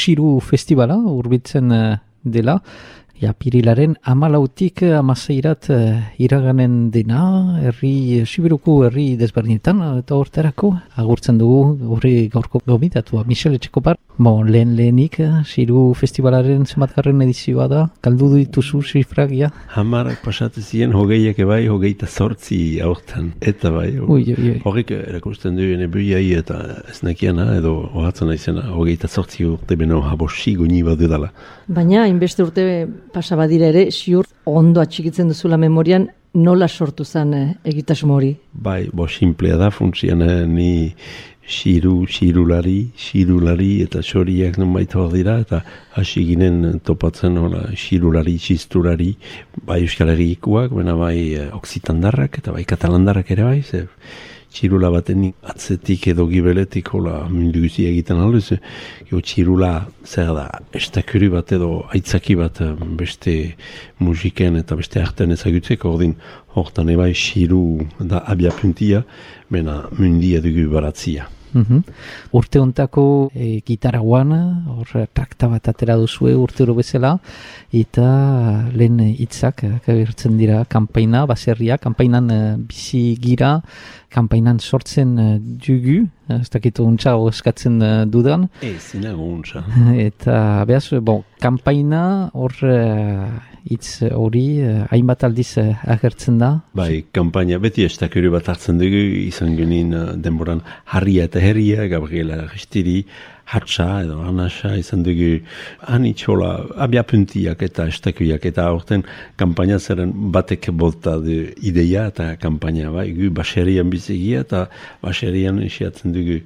Xiru Festivala urbitzen dela. Apirilaren 14-tik 16-irat iraganen dena, Sibiruko herri desberdinetan, eta horterako agurtzen dugu horri gaurko gomitatua, Michel Etxekopar. Lehenik, Xiru Festivalaren zenbatgarren edizioa da, galdu dituzu zifragia? 10 pasatu ziren, 20 bai, 28 aurten, eta bai. Horrek erakusten du buiai eta ez nakiana, edo horatzen naizena, 28 urte beno habosi guni badu dela. Baina, hainbeste urte pasabadira ere, ziur ondo atxikitzen duzula memorian, nola sortu zen egitasmo hori? Bai, simplea da, funtzian ni xirulari eta xoriak nonbait hor dira, eta hasi ginen topatzen xirulari, txisturari, bai Euskal Herrikoak, baina bai Oksitandarrak eta bai Katalandarrak ere bai, txirula baten atzetik edo gibeletik mundu guzti egiten alduz, txirula zer da, estakuri bat edo aitzaki bat beste musiken eta beste artean ezagutzeko, hortan ebai xiru da abiapuntia, bena mundia dugu baratzia. Urte hontako gitaraguan, hor trakta bat atera duzue urte hori bezala, eta lehen hitzak agertzen dira kanpaina, baserria, kanpainan bizi gira, kanpainan sortzen dugu, ez dakitu untsa eskatzen dudan. Zinago untsa. Eta behaz, kanpaina hor hitz hori hainbat aldiz agertzen da. Bai, kanpaina beti estakuru bat hartzen dugu, izan genin denboran Harria eta Herria, Gabriela Restiri, Hatsa edo Anasa izan dugu anitxola abiapuntiak eta estakuiak eta aurten kanpaina zeren batek bolta du ideia eta kanpaina bai, gu baserian bizigia eta baserian esiatzen dugu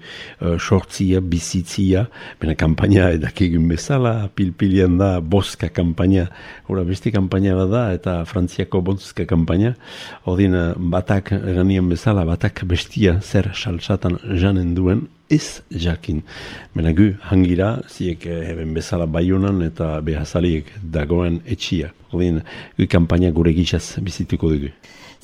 sortzia, bizitzia, bena kanpaina edakigun bezala, pilpilian da boska kanpaina, hori beste kanpaina bada eta Frantziako boska kanpaina, odin batak eganien bezala, batak bestia zer salsatan janen duen, ez jakin. Bena gu hangira, ziek heben bezala Baionan eta behazaliek dagoen etxia. Odin, gu kanpaina gure gizaz bizituko dugu.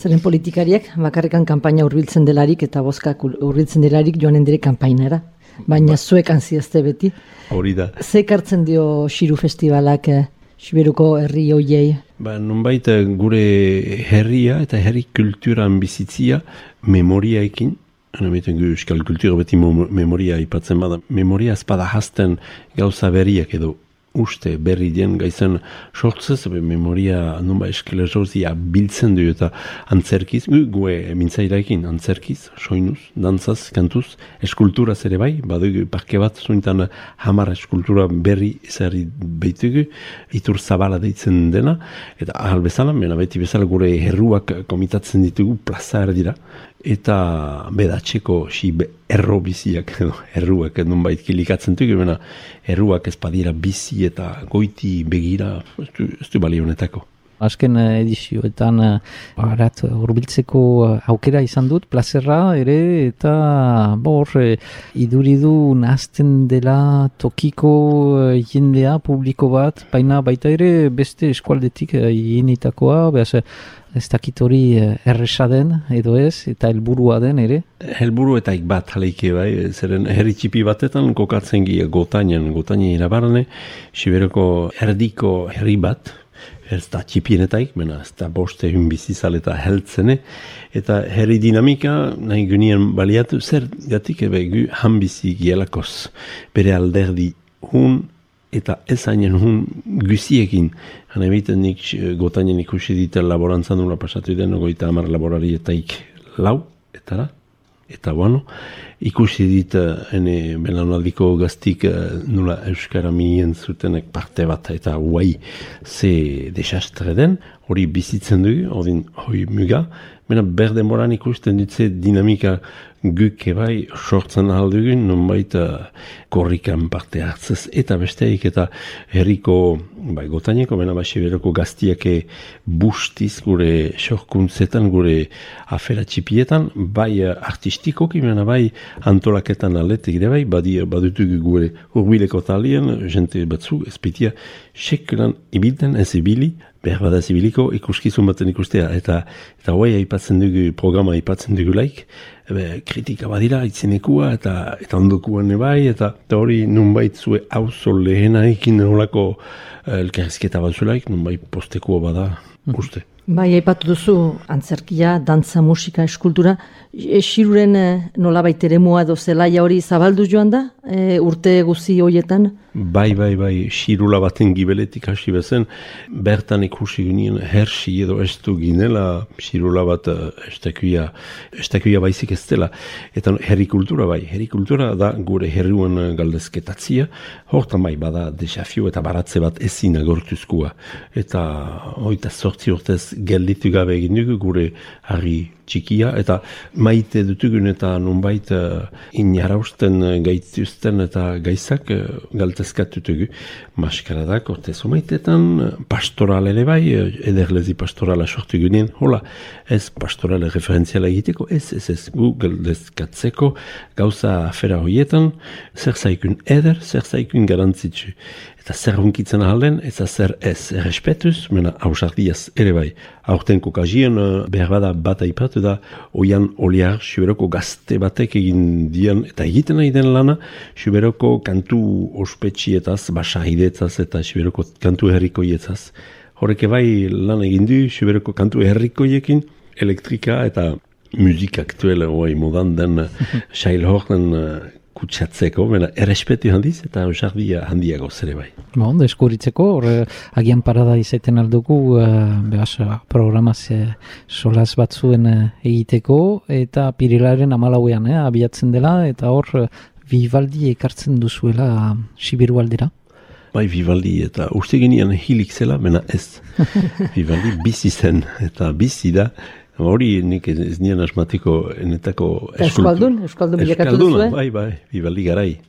Zeren politikariak bakarrikan kanpaina hurbiltzen delarik eta boskak hurbiltzen delarik joanen dire kanpainara. Baina zuek anziazte beti. Hori da. Zekartzen dio Xiru Festivalak Sibiruko herri hoiei? Nonbait gure herria eta herri kulturan bizitzia memoriaekin, Euskal kultura beti memoria ipatzen bada. Memoria ezpada hasten gauza berriak edo uste berri den gaizen sortzez, memoria nonba eskelerozia biltzen du eta antzerkiz, gue mintzairaekin antzerkiz, soinuz, dantzaz, kantuz, eskulturaz ere bai, badugu parke bat zuintan 10 eskultura berri ezarri behitugu, itur zabala deitzen dena, eta ahal bezala, mena beti bezala gure herruak komitatzen ditugu, plaza erdira, eta bedatzeko erro biziak edo erruak nonbait kilikatzen dugu, bena erruak ez badira bizi eta goiti begira, ez du bali honetako. Azken edizioetan hurbiltzeko aukera izan dut, plazerra ere, eta iduridu nahazten dela tokiko jendea, publiko bat, baina baita ere beste eskualdetik jenitakoa, behaz ez dakit hori erresa den edo ez, eta helburua den ere? Helburu eta bat haleike bai, zeren herri txipi batetan kokatzen gira Gotainen irabarne, Siberoko erdiko herri bat, ez da txipienetaik, mena ez da boste bizizal eta heltzene, eta herri dinamika nahi genien baliatu, zer gatik gu hanbizi gielakoz, bere alderdi hun, eta ez hainen hun guziekin. Hana ebiten nik Gotainen ikusi dita laborantzan nula pasatu den, 50 laborarietaik 4, etara. Eta ikusi dit belanaldiko gaztik nula Euskara mien zutenek parte bat, eta guai ze desastre den, hori bizitzen dugu, hori muga, mena berdenboran ikusten ditze dinamika guk ebai sortzen aldugun, nonbait korrikan parte hartzez, eta besteik eta herriko Gotaineko, bena Siberoko gaztiake bustiz gure sorkuntzetan, gure afera txipietan, bai artistikoki, bena bai antolaketan aletik ere bai, badutugu gure hurbileko talien, jente batzu, ezpitia, sekulan ibilten ez ibili, behar bada zibiliko ikuskizun baten ikustea, eta hoi aipatzen dugu, programa aipatzen dugu laik, kritika badira, itzinekua, eta ondokuan bai, eta hori nunbait zue auzo lehenaikin nolako elkarrizketa bat zuelaik, nunbait postekua bada, uste. Bai, aipatu duzu antzerkia, dantza, musika, eskultura. Xiruren nolabait eremua edo zelaia hori zabaldu joan da, urte guzi horietan? Bai, xirula baten gibeletik hasi bezen, bertan ikusi ginen hersi edo estu ginela, xirula bat estakuia baizik ez dela. Eta herrikultura bai, herrikultura da gure herriuen galdezketatzia, hortan bai, bada desafio eta baratze bat ezin agortuzkoa. Eta hoita 8 urtez gelditu gabe egin dugu gure harri txikia, eta maite dutugun eta nunbait inarausten gaituzten eta gaizak galtezkatutugu. Maskaradak, ortezo maitetan, pastoral ere bai, ederlezi pastorala sortu ginen, hola, ez pastorale referentziala egiteko, ez gu galdezkatzeko gauza afera horietan, zer zaikun eder, zer zaikun garantzitsu. Eta zer hunkitzen ahalden, eta zer ez errespetuz, mena hausardiaz ere bai. Aurten kokazien behar bada bat aipatu da, oian oliar, Xuberoko gazte batek egin dian, eta egiten nahi den lana, Xuberoko kantu ospetxietaz, basahidetzaz eta Xuberoko kantu herrikoietaz. Horreke bai lan egin du, Xuberoko kantu herrikoiekin, elektrika eta musika aktuela modan den Shailhornen kutsatzeko, errespetu handiz eta ausardia handiago zere bai. Deskuritzeko, agian parada izaten aldugu programaz solaz batzuen egiteko, eta Pirilaren 14ean abiatzen dela, eta hor Vivaldi ekartzen duzuela Sibiru aldera. Bai, Vivaldi, eta uste genian hilik zela, ez. Vivaldi bizi zen, eta bizi da, hori nik ez nian asmatiko enetako Euskaldun bilakatu duzue? Bai, Vivaldi garai.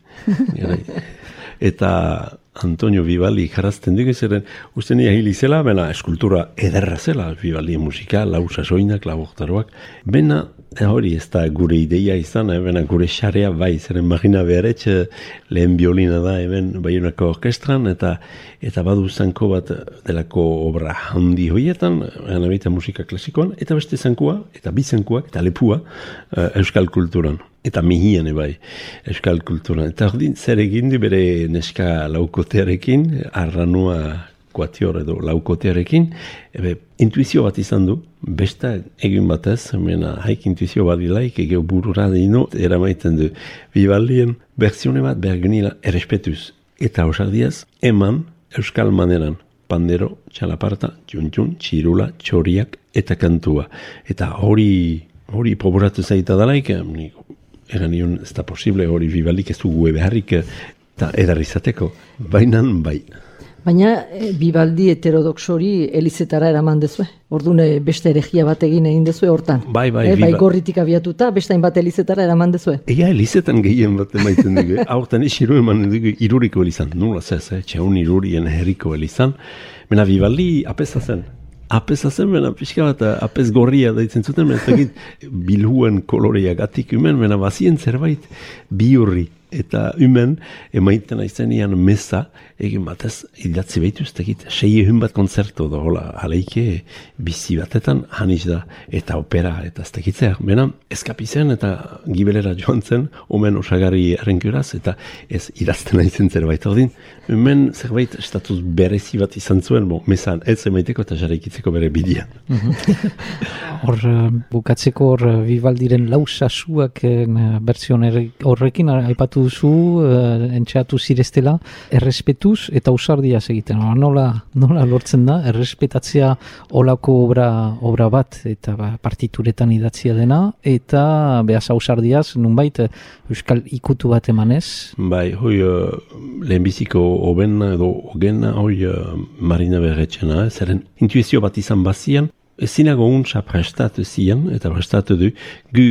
Eta Antonio Vivaldi jarazten dugu zeren, uste nia hilik zela, eskultura ederra zela, Vivaldi musika, lau sasoinak, lau oktaroak. Bena, hori ez da gure ideia izan, gure xarea bai, zeren Marina Bearetxe lehen biolina da, Baionako orkestran, eta badu zanko bat delako obra handi hoietan, musika klasikoan, eta beste zankua, eta bi zankuak, eta lepua, euskal kulturan. Eta mihian bai, euskal kulturan. Eta hori zer egin du bere neska laukotearekin, arranua kuatior edo laukotearekin, intuizio bat izan du, besta egin batez, haik intuizio badilaik, egeo burura dino, eramaiten du. Vivaldien berzione bat bergenila errespetuz. Eta osardiaz, eman euskal maneran, pandero, txalaparta, txuntxun, txirula, txoriak eta kantua. Eta hori proboratu zaita dalaik, egan nion ez da posible, hori Vivaldik ez dugu beharrik eta edarrizateko, bainan bai. Baina Vivaldi heterodoxori elizetara eraman dezue? Orduan beste eregia bat egin dezue hortan? Bai, gorritik abiatuta, beste hainbat elizetara eraman dezue? Ega elizetan gehien bat emaiten dugu. Hortan iru eman dugu iruriko elizan. Nula zez, txaun irurien herriko elizan. Mena Vivaldi apesa zen. Pixka bat apes gorria daitzen zuten, bilhuen koloreagatik bazien zerbait bihurri. Eta emaiten aizenian meza, egin batez, idatzi behituz, 6 bat konzerto da, aleike bizi batetan, haniz da, eta opera, eta ez tekitzea. Eskapizen eta gibelera joan zen, omen osagarri errenkuraz, eta ez idazten aizen zerbait. Hemen zerbait estatus berezi bat izan zuen, mezan ez emaiteko eta jarraikitzeko bere bidian. Bukatzeko Vivaldiren lau sasuak bertzion horrekin aipatu duzu, entxeatu zireztela, errespetuz eta ausardiaz egiten. Nola lortzen da, errespetatzea olako obra bat, eta partituretan idatzia dena, eta behaz ausardiaz, nunbait, euskal ikutu bat emanez? Bai, lehenbiziko obena edo ogena, Marina Beretxena, zeren intuizio bat izan bazian, ezinago untsa prestatu zian, eta prestatu du, gu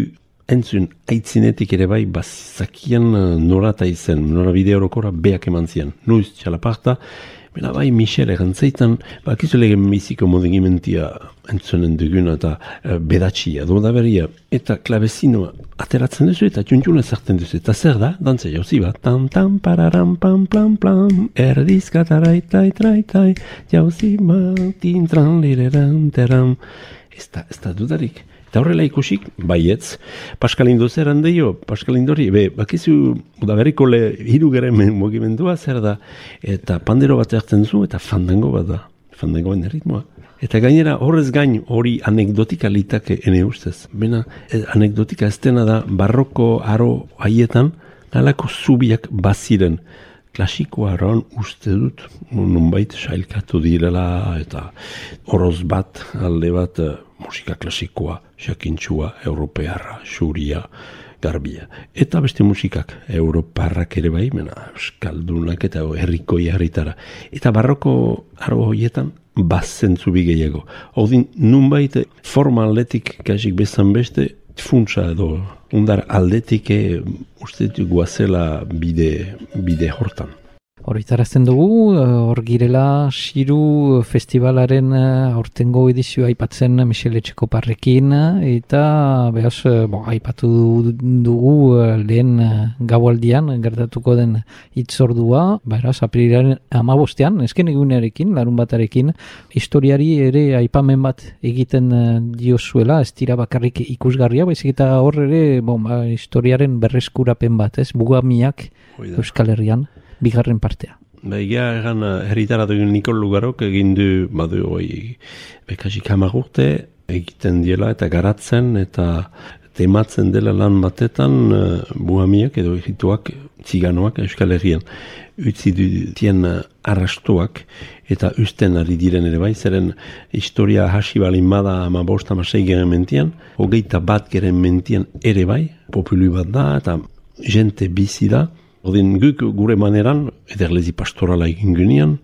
entzun aitzinetik ere bai bazakian norata izen, nora bide horokora beak eman zian. Nuiz txalaparta, bena bai Michel erantzaitan, bakizu legen biziko modegimentia entzunen duguna eta bedatxia, doda beria, eta klabezinoa ateratzen duzu eta txuntxuna zerten duzu. Eta zer da, dantza jauzi bat, tam pararam pam plam plam, erdizka taraitai traitai, jauzi bat, intran lireran teram. Ez da dudarik. Eta horrela ikusik, baietz, Pascal Indozer handeio, Pascal Indori, bakizu, udaberriko hirugeren mugimendua zer da, eta pandero bat hartzen zu, eta fandango bat da, fandangoen erritmoa. Eta gainera horrez gain hori anekdotika litake ene ustez. Bena anekdotika ez dena da barroko aro haietan nalako zubiak baziren. Klasikoa aroan uste dut nunbait sailkatu direla eta horoz bat, alde bat musika klasikoa, jakintxua, europearra, xuria, garbia. Eta beste musikak, europarrak ere bai, euskaldunak eta herrikoi herritara. Eta barroko aro horietan bazentzu gehiago. Ordin, nunbait forma aldetik kasik bezan beste, funtsa edo undar aldetik uste dut guazela bide hortan. Horritarazten dugu, hor girela Xiru festivalaren aurtengo edizioa aipatzen Michel Etxekoparrekin, eta behaz, aipatu dugu lehen gaualdian gertatuko den hitzordua, beraz, aprilaren 15, esken egunearekin, larun batarekin, historiari ere aipamen bat egiten diozuela, ez dira bakarrik ikusgarria, baizik eta hor ere historiaren berreskurapen bat, ez, Bugamiak Euskal Herrian. Bigarren partea. Egia egan herritaratu Nikol Lugarok egin du bekasik 10 urte egiten diela eta garatzen eta tematzen dela lan batetan buhamiak edo egituak ziganoak Euskal Herrian utzi dutien arrastuak eta usten ari diren ere bai, zeren historia hasi balin bada 15-16 geren mentian, 21 geren mentian ere bai, populu bat da eta jente bizi da. Ordin guk gure maneran, ederlezi pastorala egin gunean,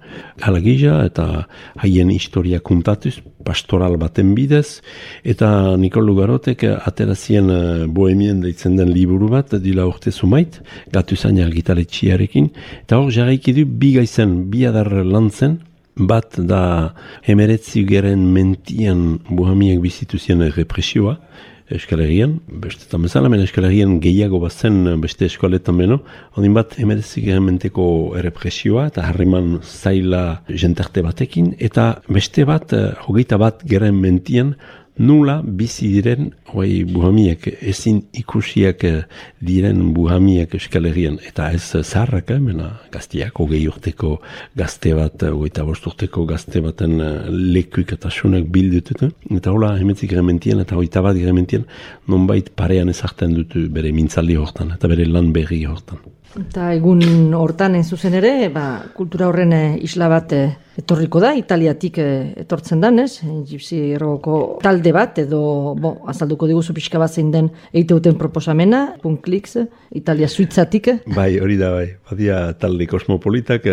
halagija eta haien historia kontatuz, pastoral baten bidez, eta Nikol Lugarotek aterazien bohemien deitzen den liburu bat, dila urte zumait, gatuzain argitaletxiarekin, eta hor jarraiki du bi gaizen, bi adar lantzen, bat da 19 geren mentian bohemiak bizituzien represioa, Euskal Herrian, bestetan bezala, Euskal Herrian gehiago bazen beste eskoletan beno, ondin bat 19 geren menteko errepresioa eta harreman zaila jentarte batekin, eta beste bat, 21 geren mentian, nula bizi diren buhamiak, ezin ikusiak diren buhamiak Euskal Herrian, eta ez zaharrak, gaztiak, 20 urteko gazte bat, 25 urteko gazte baten lekuik eta sunak bildututu, eta hola 19 geren mentian eta 21 geren mentian nonbait parean ezartzen dutu bere mintzaldi hortan, eta bere lan berri hortan. Eta egun hortan zuzen ere, kultura horren isla bat etorriko da, Italiatik etortzen danez, Gypsy Rogoko talde bat, edo azalduko diguzu pixka bat zein den egiteuten proposamena, Punklix, Italia Suitzatik. Bai, hori da, bai. Badia talde kosmopolitak.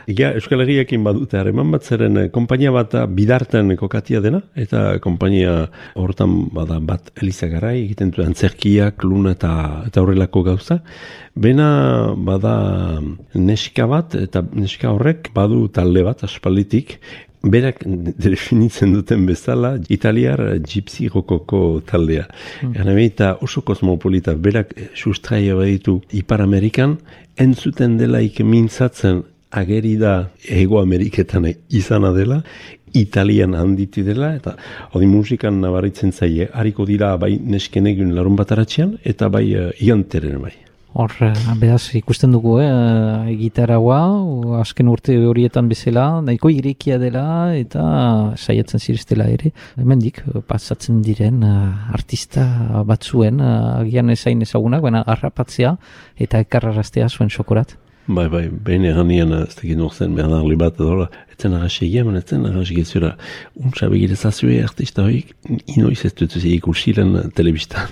Euskal Herriakin badute harreman bat, zeren konpainia bat bidarten kokatia dena, eta konpainia hortan bada bat Eliza Garai, egiten duen antzerkiak, luna eta horrelako gauza. Bena bada neska bat, eta neska horrek badu talde bat aspalditik, berak definitzen duten bezala italiar Gypsy Rogoko taldea. Eta oso kosmopolita, berak sustraia baditu Ipar Amerikan, entzuten delaik mintzatzen ageri da Hego Ameriketan izana dela, Italian handitu dela, eta hori musikan nabaritzen zaie, hariko dira bai nesken egun larun bataratzean, eta bai ianteren bai. Hor, beraz, ikusten dugu, gitarraua, azken urte horietan bezala, nahiko irekia dela, eta saiatzen zireztela ere. Hemendik, pasatzen diren artista batzuen, agian ezain ezagunak, baina harrapatzea eta ekarraraztea zuen sokorat. Bai, behin eganian ez tekin norzen, Bernard Libat edola, etzen arrasi egiaman, etzen arrasi gezura, untsa begirezazue artista hoik, inoiz ez dutuzi ikusilen telebistan,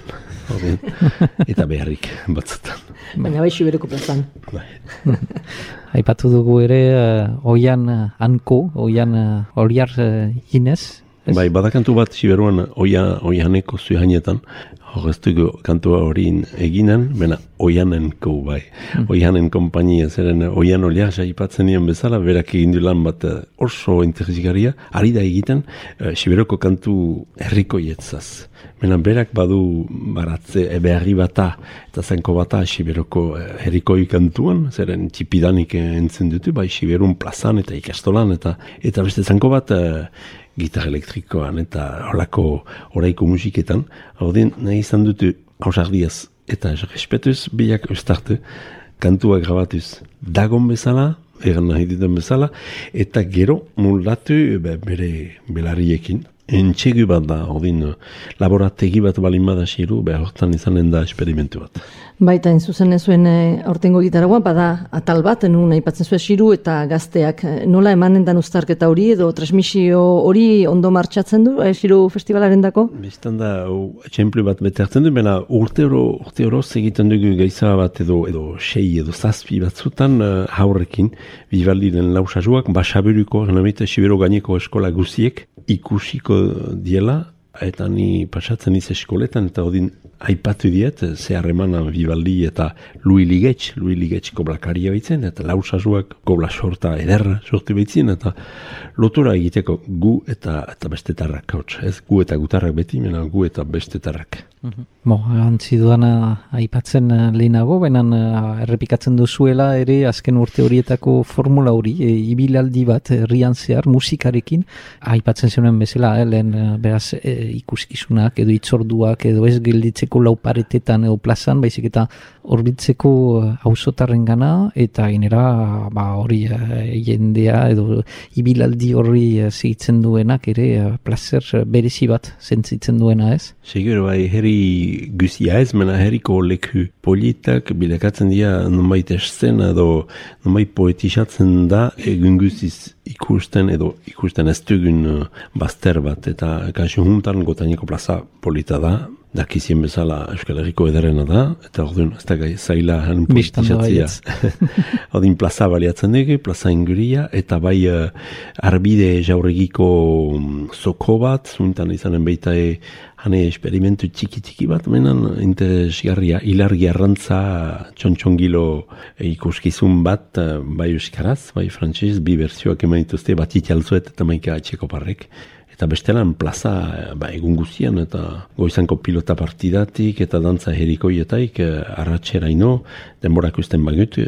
eta beharrik batzutan. Baina bai Siberoko plazan. Aipatu dugu ere, Oian Anko, Oian Oliar Ginez. Bai, badakantu bat Siberuan Oianeko zuhainetan, horreztuko kantua hori eginen, bena Oianenko bai. Oianen kompainia, zeren Oian Oliar jaipatzen nien bezala, berak egin du lan bat oso interesgarria, ari da egiten Siberoko kantu herrikoietzaz. Bena berak badu baratze beharri bata eta zenko bata Siberoko herrikoi kantuan, zeren txipidanik entzen dutu, bai Siberun plazan eta ikastolan, eta beste zenko bat gitar elektrikoan eta holako oraiko musiketan. Ordin nahi izan dutu ausardiaz eta respetuz biak ustart kantua grabatuz dagon bezala, egan nahi ditan bezala, eta gero moldatu bere belarriekin. Entxegu bat da, ordin laborategi bat balin bada xiru, hortan izanen da esperimentu bat. Baita, zuzen zuen aurtengo gitaragoa, bada atal bat, nun aipatzen zuen xiru eta gazteak. Nola emanen dan uztarketa hori edo transmisio hori ondo martxatzen du, xiru festivalaren dako? Bistan da, etxemplu bat bete hartzen du, bena urte oroz egiten dugu gaiza bat edo 6 edo 7 batzutan haurrekin, Bibaldiren lausazuak, basaburuko, genamita Sibero gaineko eskola guziek ikusiko diela, eta ni pasatzen iz eskoletan, eta odin aipatu diet, zeharremana Bibaldi eta Louis Ligetx koblakaria baitzen, eta lausazuak kobla sorta ederra sortu baitzen, eta lotura egiteko gu eta bestetarrak, ez gu eta gutarrak beti, mena gu eta bestetarrak. Antzi duana aipatzen lehenago, benan errepikatzen duzuela ere azken urte horietako formula hori, ibilaldi bat herrian zehar musikarekin, aipatzen zenuen bezala, lehen beraz ikuskizunak edo itzorduak edo ez gelditzeko lauparetetan edo plazan, baizik eta horbitzeko auzotarren gana, eta gainera hori jendea edo ibilaldi horri zigitzen duenak ere plazer berezi bat sentzitzen duena, ez? Seguro, bai, herri guzia ez, mena herriko leku politak bilakatzen dira nonbait eszena edo nonbait poetizatzen da egun guziz ikusten ez dugun bazter bat, eta kasu juntan Gotaineko plaza polita da, dakizien bezala Euskal Herriko ederena da, eta orduan ez da zaila han politizatzia. Ordin plaza baliatzen dugu, plaza inguria, eta bai arbide jauregiko zoko bat, zuntan izanen baita hane esperimentu txiki bat, menan interesgarria, ilargi arrantza txontxongilo ikuskizun bat, bai euskaraz, bai frantziz, bi berzioak eman dituzte, bat itialzuet eta maika atxeko parrek. Eta bestelan plaza egun guzian, eta goizanko pilota partidatik eta dantza herikoietaik arratxeraino denborak usten bagut,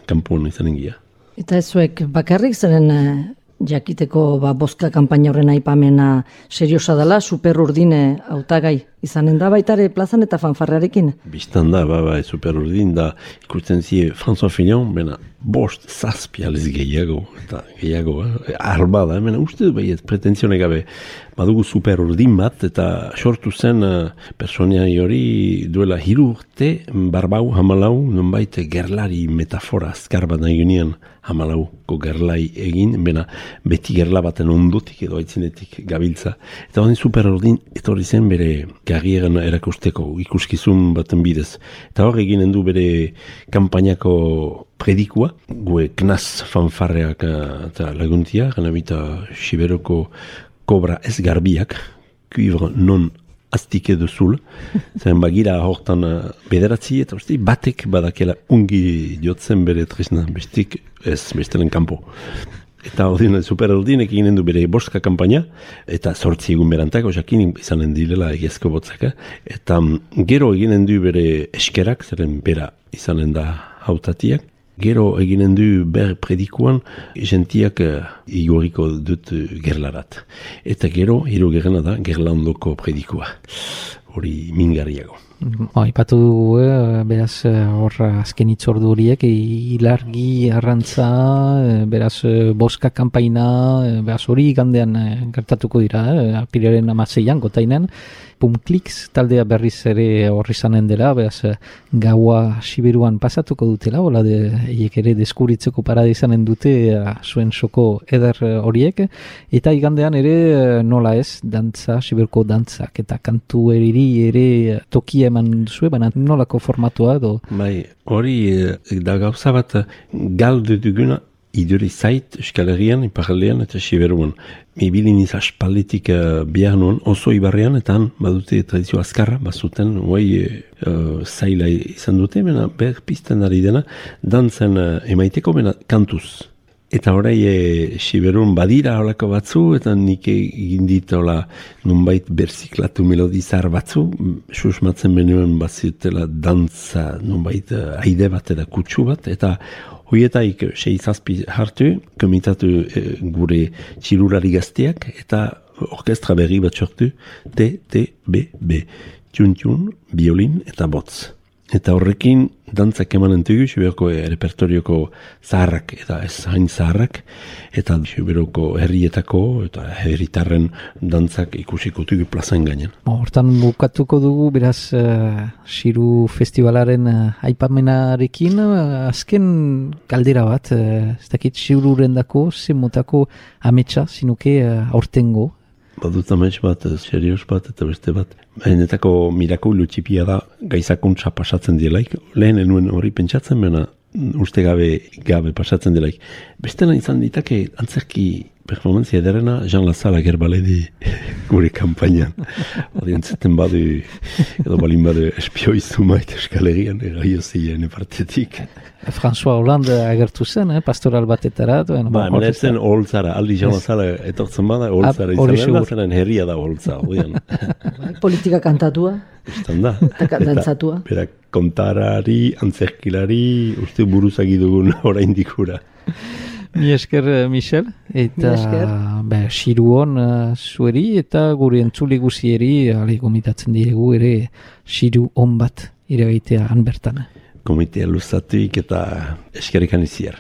kanpon izanen gira. Eta ez zuek bakarrik zeren jakiteko boska kanpaina horren aipamena seriosa dela, super urdine hautagai izanen da baitare plazan eta fanfarrearekin? Bistan da, super urdin da, ikusten zi François Fillon, bena, 5-6 alez gehiago, eta gehiago, arba da, uste du baiet, pretenzione gabe, badugu super urdin bat, eta sortu zen personia hori duela 3 urte, barbau, hamalau, nonbait gerlari metafora azkar bat nahi gunian, hamalauko gerlai egin, bena, beti gerla baten ondotik edo aitzinetik gabiltza. Eta hori super urdin, etorri zen bere garrieran erakusteko ikuskizun baten bidez. Eta hor eginen du bere kanpainako predikua, gue knaz fanfarreak eta laguntia, ganabita Siberoko kobra ez garbiak, cuivre non aztike duzul, zen bagira hortan bederatzi, eta batek badakela ungi jotzen bere tresna, bestik ez bestelen kanpo. Eta ordin, super ordinek eginen du bere boska kanpaina, eta 8 egun berantak, osakin izanen direla egiazko botzaka, eta gero eginen du bere eskerak, zeren bera izanen da hautatiak, gero eginen du ber predikuan, jentiak igoriko dut gerlarat. Eta gero, hirugarrena da, gerlandoko predikua. Hori mingarriago. Aipatu dugu, beraz, hor azken itzordu horiek, ilargi arrantza, beraz, boska kanpaina, beraz, hori gandean gertatuko dira, apiriaren 16an, Gotainan, Pumklix taldea berriz ere horri zanen dela, beraz, gaua Siberuan pasatuko dutela, hola eiek ere deskuritzeko parada izanen dute zuen soko eder horiek, eta igandean ere nola ez, dantza, Siberuko dantzak, eta kantu ere tokia eman duzue, baina nolako formatua edo? Bai, hori da gauza bat galdu duguna iduri zait Euskal Herrian, Iparraldean eta Siberuan. Ibilin aspalditik bihar nuen, oso ibarrean, eta han badute tradizio azkarra, bazuten, zaila izan dute, bena berpizten ari dena, dantzen emaiteko, bena kantuz. Eta orai Siberun badira holako batzu, eta nik egin dit nunbait berziklatu melodizar batzu, susmatzen benuen bazitela dantza, nunbait aide bat eta kutsu bat, eta hoietaik 6-7 hartu, komitatu gure txilurari gazteak, eta orkestra berri bat sortu, TTBB, txun, biolin eta botz. Eta horrekin dantzak emanen dugu, Siberoko repertorioko zaharrak eta ez hain zaharrak, eta Siberoko herrietako eta herritarren dantzak ikusiko dugu plazan gainen. Hortan bukatuko dugu, beraz, Xiru Festivalaren aipamenarekin, azken galdera bat, ez dakit Xiruren dako, zenmotako ametsa, zinuke aurtengo. Badut amets bat, serios bat, eta beste bat. Benetako mirakulu txipia da gaizakuntza pasatzen dielaik. Lehen enuen hori pentsatzen, bena uste gabe pasatzen dielaik. Bestela izan ditake antzerki performantzia ederena Jean Lazara gerbaledi gure kampainan. Adientzeten badu, edo balin badu espioizu maite eskalegian, eraiozien partetik. François Hollande agertu zen, pastoral batetara. Menetzen oholtzara, aldi Jean Lazara etortzen bada, oholtzara izan da, zenen herria da oholtza. Politika kantatua. Istan da. Eta dantzatua. Berak kontarari, antzerkilari, uste buruzagi dugun orain dikura. Mi esker, Michel, eta Xiruon zueri eta gure entzule guzieri gomitatzen diregu ere Xiru on bat iragaitea han bertan. Komitea luzatuik eta eskerrekan iziar.